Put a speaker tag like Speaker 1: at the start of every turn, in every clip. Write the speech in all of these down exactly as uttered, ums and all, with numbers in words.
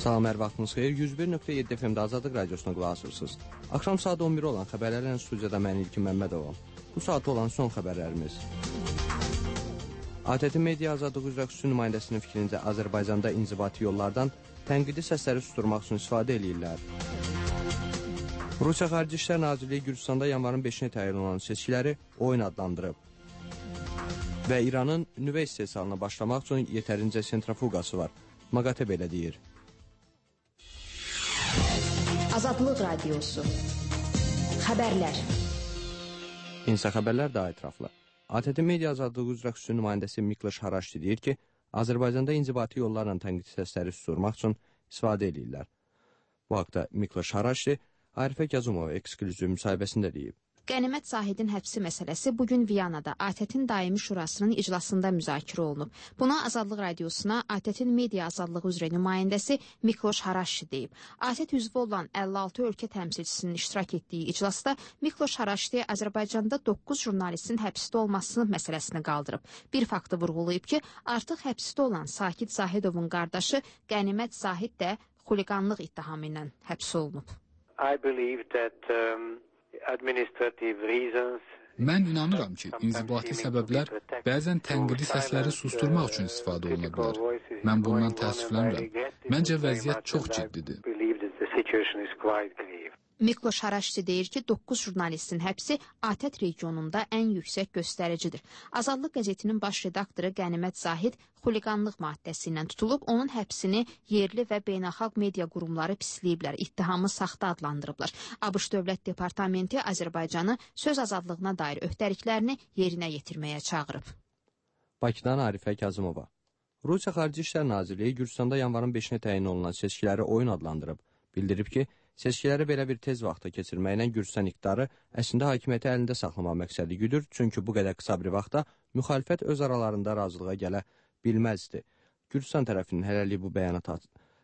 Speaker 1: Salam, hər vaxtınız xeyir. yüz bir nöqtə yeddi F M-də Azadlıq Radiosuna qulaq asırsınız. Axşam saat on bir olan xəbərlərlə studiyada mən İlkin Məmmədovam. Bu saat olan son xəbərlərimiz. A T T Media Azadlıq üzrə xüsusi nümayəndəsinin fikrincə Azərbaycanda inzibati yollardan tənqidi səsləri susturmaq üçün istifadə edirlər. Rusiya Xarici İşlər Nazirliyi Gürcüstanda yanvarın beşinə təyin olan seçkiləri oyun adlandırıb. Və İranın nüvə istehsalına başlamaq üçün yetərincə sentrafugası var. MAQATE belə deyir.
Speaker 2: Azadlıq Radiosu. Xəbərlər.
Speaker 1: İnsa xəbərlər daha ətraflı. A T T Media Azadlığı üzrə xüsusi nümayəndəsi Mikloş Haraşdi deyir ki, Azərbaycanda inzibati yollarla tənqid səsləri susturmaq üçün istifadə edirlər. Bu haqda Mikloş Haraşdi Arifə Gəzumova eksklüziv müsahibəsində deyib.
Speaker 3: Qənimət Zahidin həbsi məsələsi bugün Viyanada A T T-in daimi şurasının iclasında müzakirə olunub. Buna Azadlıq Radiosuna A T T-in media azadlığı üzrə nümayəndəsi Mikloş Haraşdi deyib. A T T üzvü olan əlli altı ölkə təmsilçisinin iştirak etdiyi iclasda Mikloş Haraşdi Azərbaycanda doqquz jurnalistin həbsdə olması məsələsini qaldırıb. Bir faktı vurğulayıb ki, artıq həbsdə olan Sakit Zahidovun qardaşı Qənimət Zahid də xuliqanlıq ittihamı ilə həbs olunub.
Speaker 4: I believe that um...
Speaker 5: Mən inanıram ki, inzibati səbəblər bəzən tənqidi səsləri susturmaq üçün istifadə oluna bilər. Mən bundan təəssüflənirəm. Məncə vəziyyət çox ciddidir.
Speaker 3: Mikloş Haraşdi deyir ki, doqquz jurnalistin həbsi A T T regionunda ən yüksək göstəricidir. Azadlıq qəzetinin baş redaktoru Qənimət Zahid xuliqanlıq maddəsi ilə tutulub, onun həbsini yerli və beynəlxalq media qurumları pisləyiblər, ittihamı saxta adlandırıblar. ABŞ Dövlət Departamenti Azərbaycanı söz azadlığına dair öhdəliklərini yerinə yetirməyə çağırıb.
Speaker 1: Bakıdan Arifə Kazımova. Rusiya Xarici İşlər Nazirliyi Gürcüstanda yanvarın beşinə təyin olunan seçkiləri oyun adlandırıb. Bildirib ki, seçkiləri belə bir tez vaxtda keçirməklə Gürcüstan iqtidarı əslində hakimiyyəti əlində saxlamaq məqsədi güdür, çünki bu qədər qısa bir vaxtda müxalifət öz aralarında razılığa gələ bilməzdi. Gürcüstan tərəfinin hələlik bu bəyanata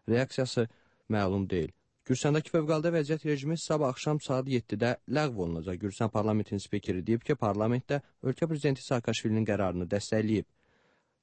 Speaker 1: reaksiyası məlum deyil. Gürcüstandakı fövqəladə vəziyyət rejimi sabah axşam saat yeddidə ləğv olunacaq. Gürcüstan parlamentinin spikeri deyib ki, parlamentdə ölkə prezidenti Saakashvilinin qərarını dəstəkləyib.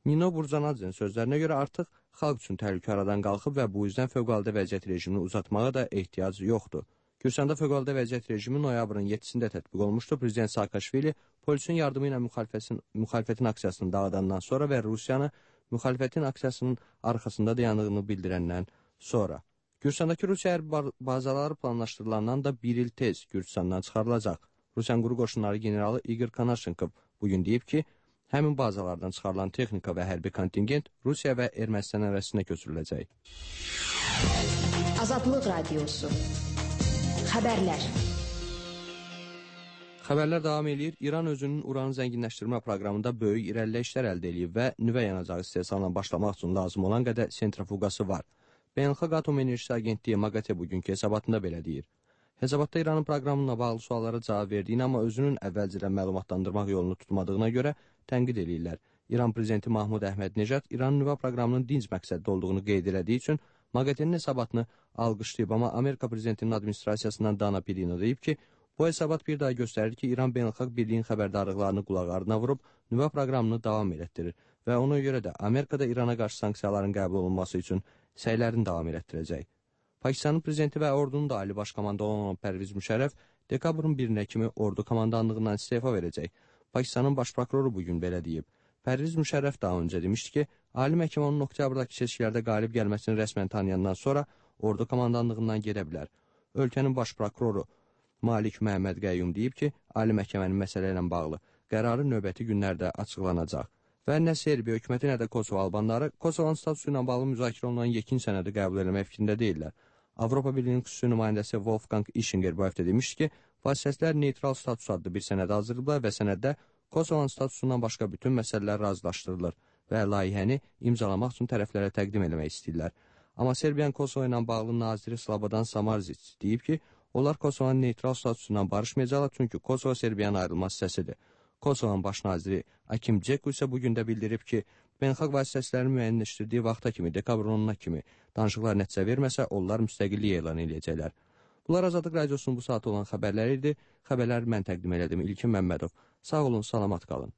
Speaker 1: Nino Burcanadzin sözlərinə görə artıq xalq üçün təhlükə aradan qalxıb və bu yüzdən fövqəladə vəziyyət rejimini uzatmağa da ehtiyac yoxdur. Gürcüstanda fövqəladə vəziyyət rejimi noyabrın yeddisində tətbiq olmuşdu. Prezident Saakashvili polisin yardımı ilə müxalifətin, müxalifətin aksiyasını dağıdandan sonra və Rusiyanı müxalifətin aksiyasının arxasında dayandığını bildirəndən sonra. Gürcüstandakı Rusiya hərbi bazaları planlaşdırılandan da bir il tez Gürcüstandan çıxarılacaq. Rusiyan quru qoşunları generalı Igor Konashenkov bugün deyib ki, həmin bazalardan çıxarılan texnika və hərbi kontingent Rusiya və Ermənistan ərazisində köçürüləcək.
Speaker 2: Azadlıq Radiosu. Xəbərlər.
Speaker 1: Xəbərlər davam edir. İran özünün uranı zənginləşdirmə proqramında böyük irəliləyişlər əldə edib və nüvə yanacağı istehsalına başlamaq üçün lazım olan qədər sentrafugası var. Beynəlxalq Atom Enerjisi Agentliyi MAQATE bugünkü hesabatında belə deyir. Hesabatda İranın proqramına bağlı suallara cavab verdiyini, amma özünün əvvəlcədən məlumatlandırmaq yolunu tutmadığına görə tənqid edirlər. İran prezidenti Mahmud Əhməd-Necad İranın nüvə proqramının dinc məqsədli olduğunu qeyd elədiyi üçün MAQATE-nin hesabatını alqışlayıb, amma Amerika prezidentinin administrasiyasından Dana Pirino deyib ki, bu hesabat bir daha göstərir ki, İran beynəlxalq birliyin xəbərdarlıqlarını qulaq ardına vurub nüvə proqramını davam elətdirir və ona görə də Amerikada İrana qarşı sanksiyaların qəbul olunması üçün səylərini davam elətdirəcək. Pakistanın prezidenti və ordunun da ali baş komandanı olan Pərviz Müşərrəf dekabrın birinə kimi ordu komandanlığından istefa verəcək. Pakistanın baş prokuroru bugün belə deyib. Pərviz Müşərrəf daha öncə demişdi ki, Ali Məhkəmə onun oktyabrdakı seçkilərdə qalib gəlməsini rəsmən tanıyandan sonra ordu komandanlığından gedə bilər. Ölkənin baş prokuroru Malik Məhəmməd Qəyyum deyib ki, Ali Məhkəmənin məsələ ilə bağlı qərarı növbəti günlərdə açıqlanacaq. Və nə Serbiya hökuməti, nə də Kosovo albanları Kosovanın statusu ilə bağlı müzakirə olunan yekun sənədi qəbul etmək fikrində deyirlər. Avropa Birliyinin xüsusi nümayəndəsi Wolfgang Ischinger bu həftə demişdi ki, vasitəçilər neytral status adlı bir sənəd hazırlayıblar və sənəddə Kosovanın statusundan başqa bütün məsələlər razılaşdırılır və layihəni imzalamaq üçün tərəflərə təqdim etmək istəyirlər. Amma Serbiyanın Kosovo ilə bağlı naziri Slobodan Samarzic deyib ki, onlar Kosovanın neytral statusundan barışmayacaqlar, çünki Kosovo Serbiyanın ayrılmaz hissəsidir. Kosovanın baş naziri Akim Ceku isə bugün də bildirib ki, beynəlxalq vasitəçilərin müəyyənləşdirdiyi vaxta kimi, dekabrın onuna kimi danışıqlar nəticə verməsə, onlar müstəqillik elan edəcəklər. Bunlar Azadlıq Radiosunun bu saat olan xəbərləri idi. Xəbərləri mən təqdim elədim. İlkin Məmmədov. Sağ olun, salamat qalın.